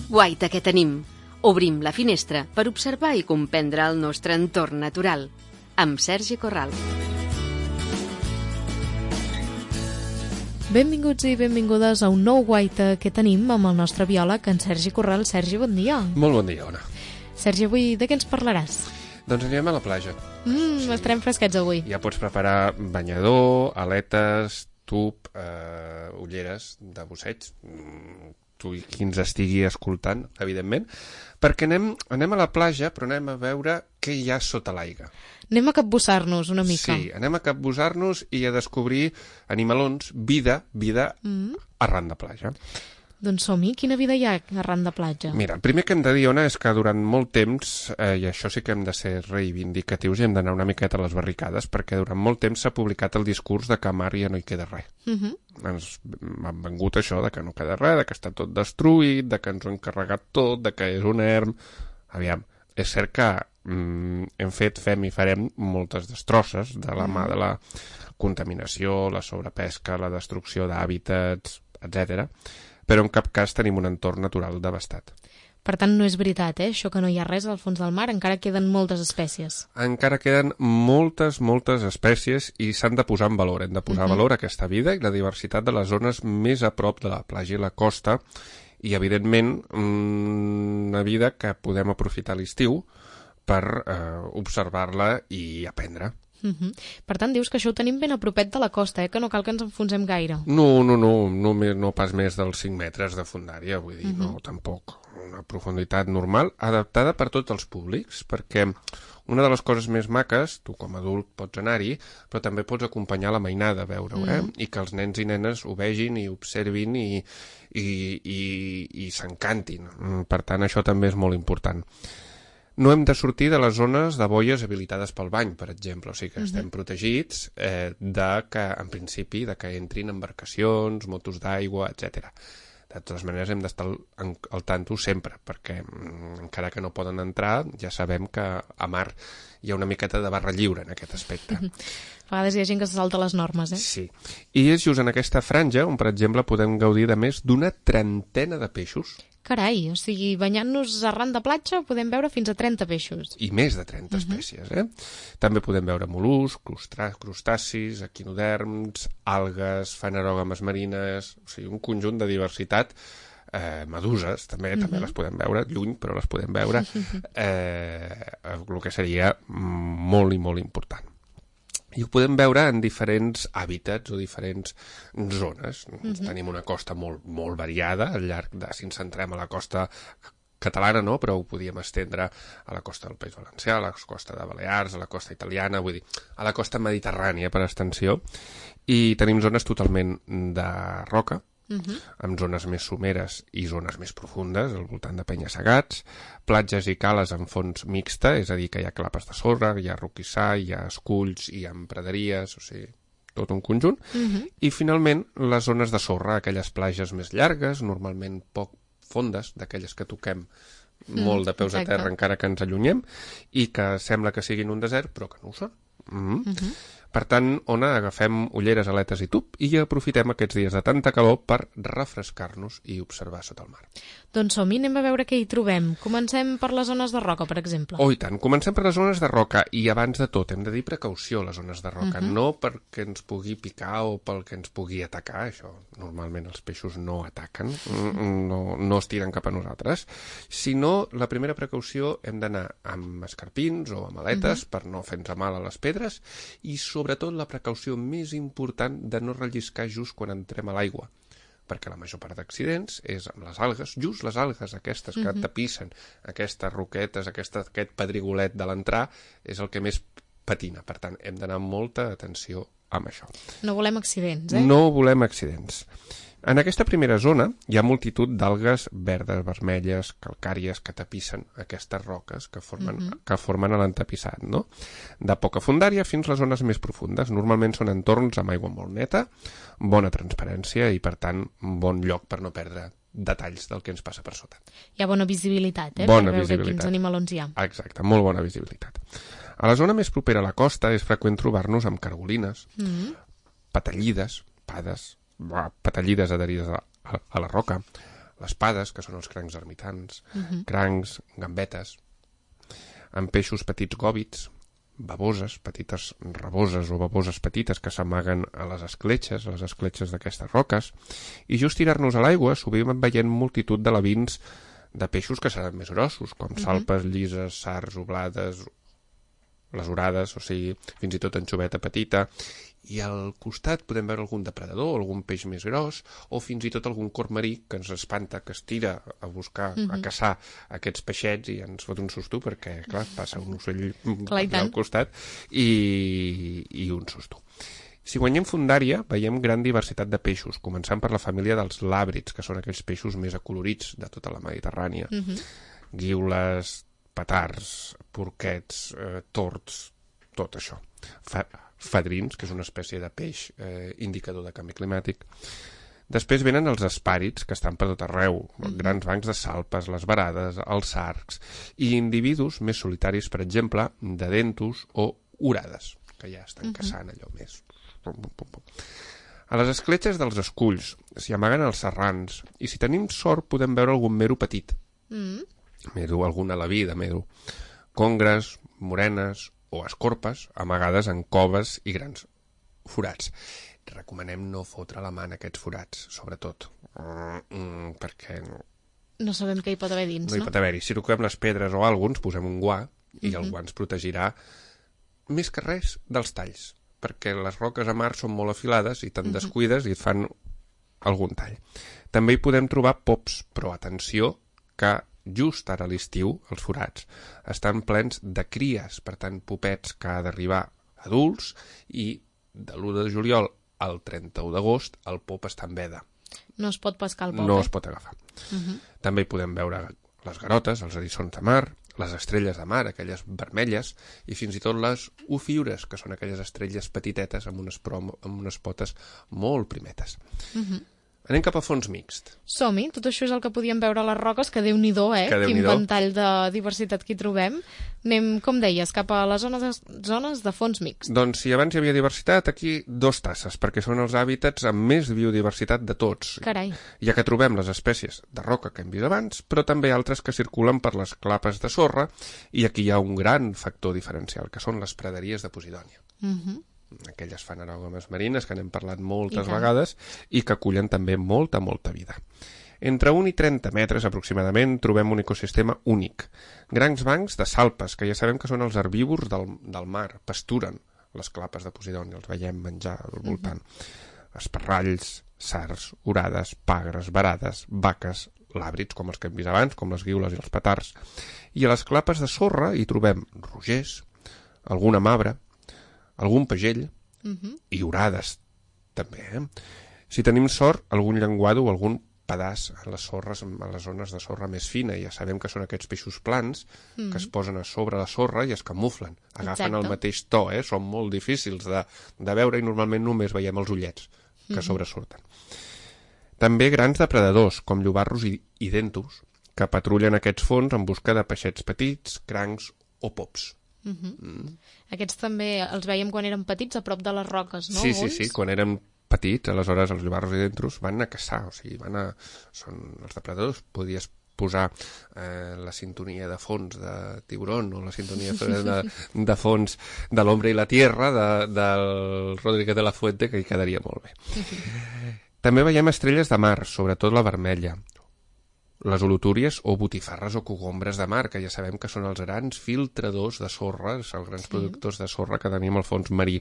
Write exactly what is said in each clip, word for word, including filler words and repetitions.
Guaita que tenim. Obrim la finestra per observar i comprendre el nostre entorn natural. Amb Sergi Corral. Benvinguts i benvingudes a un nou Guaita que tenim amb el nostre biòleg, en Sergi Corral. Sergi, bon dia. Molt bon dia, Ona. Sergi, avui de què ens parlaràs? Doncs anirem a la platja. Mm, sí. Estarem fresquets avui. Ja pots preparar banyador, aletes, tub, eh, ulleres de busseig, mm, tu i qui ens estigui escoltant, evidentment, perquè anem, anem a la platja, però anem a veure què hi ha sota l'aigua. Anem a capbussar-nos una mica. Sí, anem a capbussar-nos i a descobrir animalons, vida, vida mm. arran de platja. Doncs som-hi, quina vida hi ha arran de platja? Mira, el primer que hem de dir, Ona, és que durant molt temps, eh, i això sí que hem de ser reivindicatius i hem d'anar una miqueta a les barricades, perquè durant molt temps s'ha publicat el discurs de que a mar ja no hi queda res. Uh -huh. Ens han vengut això de que no queda res, de que està tot destruït, de que ens ho hem carregat tot, de que és un erm... Aviam, és cert que mm, hem fet, fem i farem moltes destrosses de la mà de la contaminació, la sobrepesca, la destrucció d'hàbitats, etcètera, però en cap cas tenim un entorn natural devastat. Per tant, no és veritat, eh? Això que no hi ha res al fons del mar, encara queden moltes espècies. Encara queden moltes, moltes espècies i s'han de posar en valor. Hem de posar en uh -huh. valor aquesta vida i la diversitat de les zones més a prop de la platja i la costa i, evidentment, una vida que podem aprofitar a l'estiu per eh, observar-la i aprendre. Uh -huh. Per tant, dius que això ho tenim ben a propet de la costa, eh? Que no cal que ens enfonsem gaire. No, no, no, no, no pas més dels cinc metres de fondària, vull dir, uh -huh. no, tampoc. Una profunditat normal, adaptada per tots els públics, perquè una de les coses més maques, tu com a adult pots anar-hi, però també pots acompanyar la mainada a veure-ho, eh? Mm. I que els nens i nenes ho vegin i observin i, i, i, i s'encantin. Per tant, això també és molt important. No hem de sortir de les zones de boies habilitades pel bany, per exemple, o sigui que uh-huh. estem protegits eh, de que, en principi, de que entrin embarcacions, motos d'aigua, etcètera. De totes maneres, hem d'estar al, al tanto sempre, perquè mm, encara que no poden entrar, ja sabem que a mar hi ha una miqueta de barra lliure en aquest aspecte. Uh-huh. A vegades hi ha gent que se salta les normes, eh? Sí. I és just en aquesta franja on, per exemple, podem gaudir de més d'una trentena de peixos. Carai, o sigui, banyant-nos arran de platja podem veure fins a trenta peixos. I més de trenta uh-huh. espècies, eh? També podem veure mol·luscs, crustacis, equinoderms, algues, fanerògames marines, o sigui, un conjunt de diversitat, eh, meduses, també uh-huh. també les podem veure, lluny, però les podem veure, eh, el que seria molt i molt important. I ho podem veure en diferents hàbitats o diferents zones. Uh-huh. Tenim una costa molt, molt variada, al llarg de, si ens centrem a la costa catalana, no? Però ho podíem estendre a la costa del País Valencià, a la costa de Balears, a la costa italiana, vull dir, a la costa mediterrània per extensió, i tenim zones totalment de roca, Uh-huh. amb zones més someres i zones més profundes, al voltant de penya-segats, platges i cales en fons mixta, és a dir, que hi ha clapes de sorra, hi ha roquissar, hi ha esculls, hi ha praderies, o sigui, tot un conjunt. Uh-huh. I, finalment, les zones de sorra, aquelles platges més llargues, normalment poc fondes, d'aquelles que toquem mm, molt de peus exacte. A terra encara que ens allunyem, i que sembla que siguin un desert, però que no ho són. Mm-hmm. Uh-huh. Per tant, Ona, agafem ulleres, aletes i tub i aprofitem aquests dies de tanta calor per refrescar-nos i observar sota el mar. Doncs som-hi, anem a veure què hi trobem. Comencem per les zones de roca, per exemple. Oh, i tant. Comencem per les zones de roca i abans de tot hem de dir precaució a les zones de roca. Uh-huh. No perquè ens pugui picar o pel que ens pugui atacar, això normalment els peixos no ataquen, no, no es tiren cap a nosaltres, sinó la primera precaució hem d'anar amb escarpins o amb aletes uh-huh. per no fer-nos mal a les pedres i sobretot la precaució més important de no relliscar just quan entrem a l'aigua, perquè la major part d'accidents és amb les algues, just les algues aquestes que uh-huh. tapissen, aquestes roquetes, aquesta, aquest pedrigolet de l'entrar, és el que més patina. Per tant, hem d'anar amb molta atenció amb això. No volem accidents, eh? No volem accidents. En aquesta primera zona hi ha multitud d'algues verdes, vermelles, calcàries que tapissen aquestes roques que formen, uh-huh. que formen l'entapissat, no? De poca fondària fins a les zones més profundes. Normalment són entorns amb aigua molt neta, bona transparència i, per tant, un bon lloc per no perdre detalls del que ens passa per sota. Hi ha bona visibilitat, eh? Bona per veure visibilitat. Quins animalons hi ha. Exacte, molt bona visibilitat. A la zona més propera a la costa és freqüent trobar-nos amb cargolines, mm-hmm. patallides, pades, patallides adherides a, a, a la roca, les pades, que són els crancs ermitans, uh-huh. crancs, gambetes, amb peixos petits gòbits, baboses, petites raboses o baboses petites que s'amaguen a les escletxes, a les escletxes d'aquestes roques, i just tirar-nos a l'aigua sovint veient multitud de lavins de peixos que seran més grossos, com uh-huh. salpes llises, sards, oblades, les orades, o sigui, fins i tot anxoveta petita, i al costat podem veure algun depredador, algun peix més gros, o fins i tot algun corb marí que ens espanta, que es tira a buscar, uh-huh. a caçar aquests peixets i ens fot un susto perquè, clar, passa un ocell al costat i, i un susto. Si guanyem fundària, veiem gran diversitat de peixos, començant per la família dels làbrids, que són aquells peixos més acolorits de tota la Mediterrània. Uh-huh. Guiules, patards, porquets, eh, tords, tot això. Fa fadrins, que és una espècie de peix eh, indicador de canvi climàtic. Després venen els espàrids, que estan per tot arreu, mm. grans bancs de salpes, les varades, els sargs, i individus més solitaris, per exemple, de dentus o orades, que ja estan mm-hmm. caçant allò més. A les escletxes dels esculls s'hi amaguen els serrans, i si tenim sort podem veure algun mero petit. Mm. Mero, algun alaví de mero. Congres, morenes o escorpes amagades en coves i grans forats. Recomanem no fotre la mà en aquests forats, sobretot, mm, perquè no sabem què hi pot haver dins, no? No hi pot haver-hi. Si toquem les pedres o alguna cosa, posem un guà i uh-huh. el guà ens protegirà més que res dels talls, perquè les roques a mar són molt afilades i te'n uh-huh. descuides i et fan algun tall. També hi podem trobar pops, però atenció que just ara a l'estiu, els forats, estan plens de cries, per tant, popets que ha d'arribar adults, i de l'u de juliol al trenta-u d'agost el pop està en veda. No es pot pescar el pop, No eh? es pot agafar. Uh-huh. També hi podem veure les garotes, els eriçons de mar, les estrelles de mar, aquelles vermelles, i fins i tot les ofiures, que són aquelles estrelles petitetes amb unes, prom amb unes potes molt primetes. Uh-huh. Anem cap a fons mixt. Som-hi, tot això és el que podíem veure a les roques, que Déu-n'hi-do, eh? Quin ventall de diversitat que hi trobem. Anem, com deies, cap a les zones de, zones de fons mixt. Doncs si abans hi havia diversitat, aquí dos tasses, perquè són els hàbitats amb més biodiversitat de tots. Carai. Ja que trobem les espècies de roca que hem vist abans, però també altres que circulen per les clapes de sorra, i aquí hi ha un gran factor diferencial, que són les praderies de Posidònia. Mhm. Uh aquelles fanerògames marines que n'hem parlat moltes vegades i que acullen també molta, molta vida. Entre un i trenta metres aproximadament trobem un ecosistema únic. Grans bancs de salpes, que ja sabem que són els herbívors del, del mar, pasturen les clapes de Posidònia, els veiem menjar al voltant. Uh-huh. Esparralls, sards, orades, pagres, varades, vaques, làbrids, com els que hem vist abans, com les guiules i els petards. I a les clapes de sorra hi trobem rogers, alguna mabre, algun pagell uh-huh. i orades, també. Eh? Si tenim sort, algun llenguado o algun pedaç a les sorres, a les zones de sorra més fina. Ja sabem que són aquests peixos plans uh-huh. que es posen a sobre la sorra i es camuflen. Agafen Exacte. El mateix to, eh? Són molt difícils de, de veure i normalment només veiem els ullets que uh-huh. sobresurten. També grans depredadors, com llobarros i, i dentus, que patrullen aquests fons en busca de peixets petits, crancs o pops. Uh-huh. Mm. Aquests també els veiem quan érem petits a prop de les roques, no? Sí, sí, sí, quan érem petits, aleshores els llobarros i dentus van a caçar, o sigui, van a... són els depredadors, podies posar eh, la sintonia de fons de Tiburón o la sintonia de, de fons de l'Hombre i la Tierra de, del Rodríguez de la Fuente, que hi quedaria molt bé. Uh-huh. També veiem estrelles de mar, sobretot la vermella, les holotúries o botifarres o cogombres de mar, que ja sabem que són els grans filtradors de sorra, els grans sí. productors de sorra que tenim al fons marí.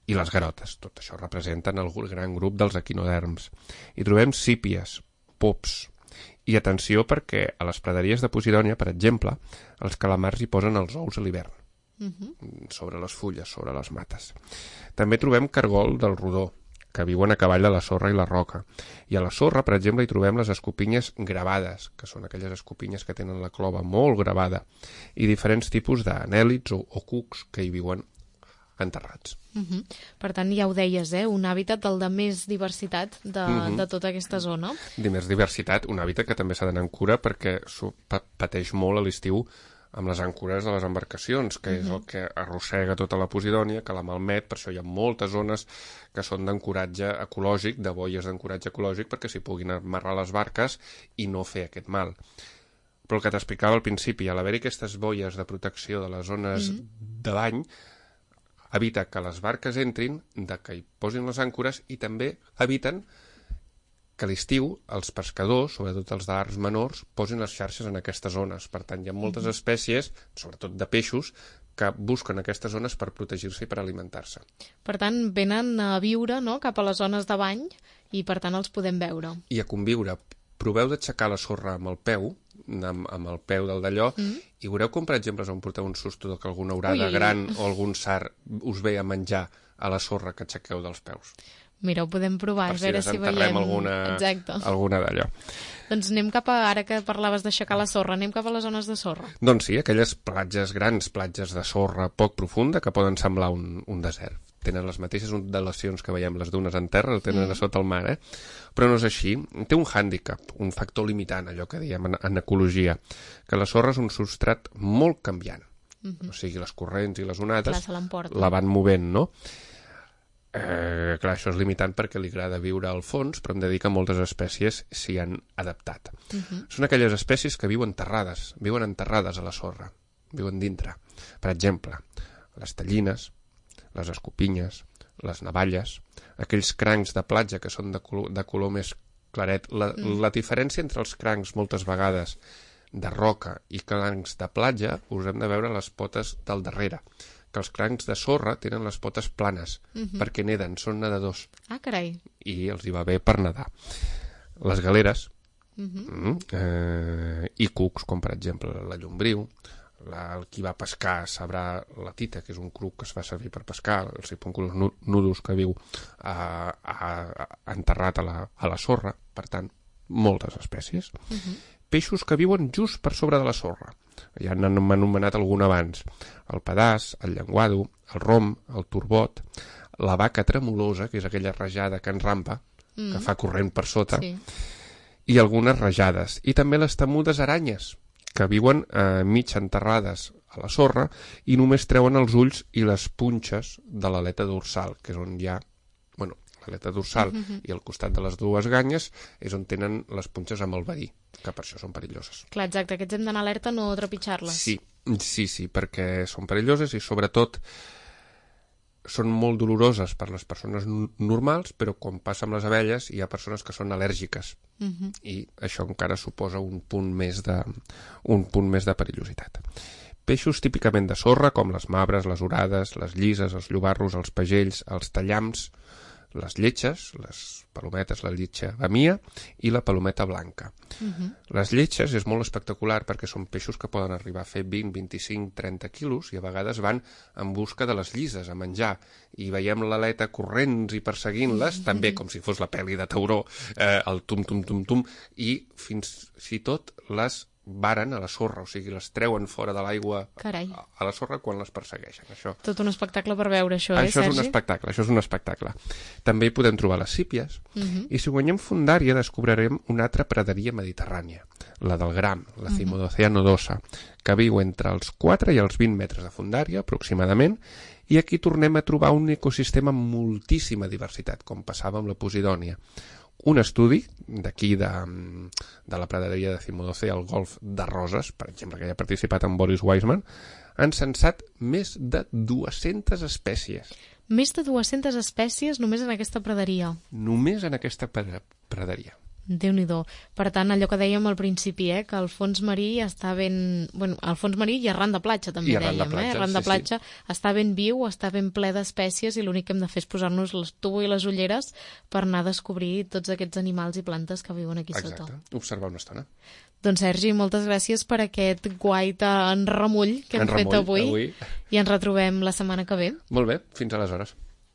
I les garotes, tot això representen el gran grup dels equinoderms. Hi trobem sípies, pops, i atenció perquè a les praderies de Posidònia, per exemple, els calamars hi posen els ous a l'hivern, uh-huh. sobre les fulles, sobre les mates. També trobem cargol del rodó, que viuen a cavall de la sorra i la roca. I a la sorra, per exemple, hi trobem les escopinyes gravades, que són aquelles escopinyes que tenen la clova molt gravada, i diferents tipus d'anèlids o, o cucs que hi viuen enterrats. Uh-huh. Per tant, ja ho deies, eh? Un hàbitat el de més diversitat de, uh-huh. de tota aquesta zona. De més diversitat, un hàbitat que també s'ha d'anar en cura perquè pateix molt a l'estiu amb les àncores de les embarcacions, que uh-huh. és el que arrossega tota la Posidònia, que la malmet, per això hi ha moltes zones que són d'ancoratge ecològic, de boies d'ancoratge ecològic, perquè s'hi puguin amarrar les barques i no fer aquest mal. Però el que t'explicava al principi, a l'haver-hi aquestes boies de protecció de les zones uh-huh. de bany, evita que les barques entrin, de que hi posin les àncores i també eviten que a l'estiu els pescadors, sobretot els d'arts menors, posin les xarxes en aquestes zones. Per tant, hi ha moltes espècies, sobretot de peixos, que busquen aquestes zones per protegir-se i per alimentar-se. Per tant, venen a viure, no?, cap a les zones de bany i, per tant, els podem veure. I a conviure. Proveu d'aixecar la sorra amb el peu, amb, amb el peu del d'allò, mm. i veureu com, per exemple, on porteu un susto que alguna orada ui, gran ui. o algun sard us ve a menjar a la sorra que aixequeu dels peus. Mira, ho podem provar, per a veure si si veiem... alguna, alguna d'allò. Doncs anem cap a, ara que parlaves d'aixecar la sorra, anem cap a les zones de sorra. Doncs sí, aquelles platges grans, platges de sorra poc profunda, que poden semblar un, un desert. Tenen les mateixes ondulacions que veiem les dunes en terra, el tenen mm. a sota el mar, eh? Però no és així. Té un hàndicap, un factor limitant, allò que diem en, en ecologia, que la sorra és un substrat molt canviant. Mm-hmm. O sigui, les corrents i les onades clar, la van movent, no? Eh, clar, això és limitant perquè li agrada viure al fons, però hem de dir que moltes espècies s'hi han adaptat. Uh-huh. Són aquelles espècies que viuen enterrades, viuen enterrades a la sorra, viuen dintre. Per exemple, les tallines, les escopinyes, les navalles, aquells crancs de platja que són de color, de color més claret. La, uh-huh. la diferència entre els crancs moltes vegades de roca i crancs de platja us hem de veure les potes del darrere, que els crancs de sorra tenen les potes planes, uh-huh. perquè neden, són nedadors. Ah, carai. I els hi va bé per nedar. Les galeres, uh-huh. mm, eh, i cucs, com per exemple la llombriu, la, el qui va pescar sabrà la tita, que és un cruc que es fa servir per pescar, el sipunculus nudus que viu a, a, a, enterrat a la, a la sorra, per tant, moltes espècies. Uh-huh. Peixos que viuen just per sobre de la sorra. Ja n'han anomenat algun abans. El pedaç, el llenguado, el rom, el turbot, la vaca tremolosa, que és aquella rajada que enrampa, mm. que fa corrent per sota, sí. i algunes rajades. I també les temudes aranyes, que viuen eh, mig enterrades a la sorra i només treuen els ulls i les punxes de l'aleta dorsal, que és on hi ha... Bueno, l'aleta dorsal uh-huh. i al costat de les dues ganyes és on tenen les punxes amb el verí, que per això són perilloses. Clar, exacte, aquests hem d'anar alerta a no trepitjar-les. Sí, sí, sí, perquè són perilloses i sobretot són molt doloroses per les persones normals, però com passa amb les abelles hi ha persones que són al·lèrgiques uh-huh. i això encara suposa un punt més de, un punt més de perillositat. Peixos típicament de sorra, com les mabres, les orades, les llises, els llobarros, els pagells, els tallams, les lletges, les palometes, la lletja bamia i la palometa blanca. Uh-huh. Les lletges és molt espectacular perquè són peixos que poden arribar a fer vint, vint-i-cinc, trenta quilos i a vegades van en busca de les llises a menjar i veiem l'aleta corrents i perseguint-les, uh-huh. també com si fos la pel·li de Tauró, eh, el tum-tum-tum-tum, i fins i tot les varen a la sorra, o sigui, les treuen fora de l'aigua Carai. a la sorra quan les persegueixen. Això. Tot un espectacle per veure això, eh, això Sergi? Això és un espectacle, això és un espectacle. També hi podem trobar les sípies, uh-huh. i si guanyem fondària descobrirem una altra praderia mediterrània, la del gram, la Cimodocea nodosa, que viu entre els quatre i els vint metres de fondària, aproximadament, i aquí tornem a trobar un ecosistema amb moltíssima diversitat, com passava amb la Posidònia. Un estudi d'aquí de, de la praderia de Cimodocea al golf de Roses, per exemple, que hi ha participat en Boris Weisman, han censat més de dues-centes espècies. Més de dues-centes espècies només en aquesta praderia? Només en aquesta praderia. Déu-n'hi-do. Per tant, allò que dèiem al principi, eh, que el fons marí està ben... Bueno, el fons marí i arran de platja, també I arran dèiem, de platja, eh? Arran de sí, platja sí. està ben viu, està ben ple d'espècies i l'únic que hem de fer és posar-nos les tubo i les ulleres per anar a descobrir tots aquests animals i plantes que viuen aquí Exacte. sota. Exacte, observar una estona. Doncs Sergi, moltes gràcies per aquest guaita en remull que hem en fet remull, avui, avui i ens retrobem la setmana que ve. Molt bé, fins aleshores.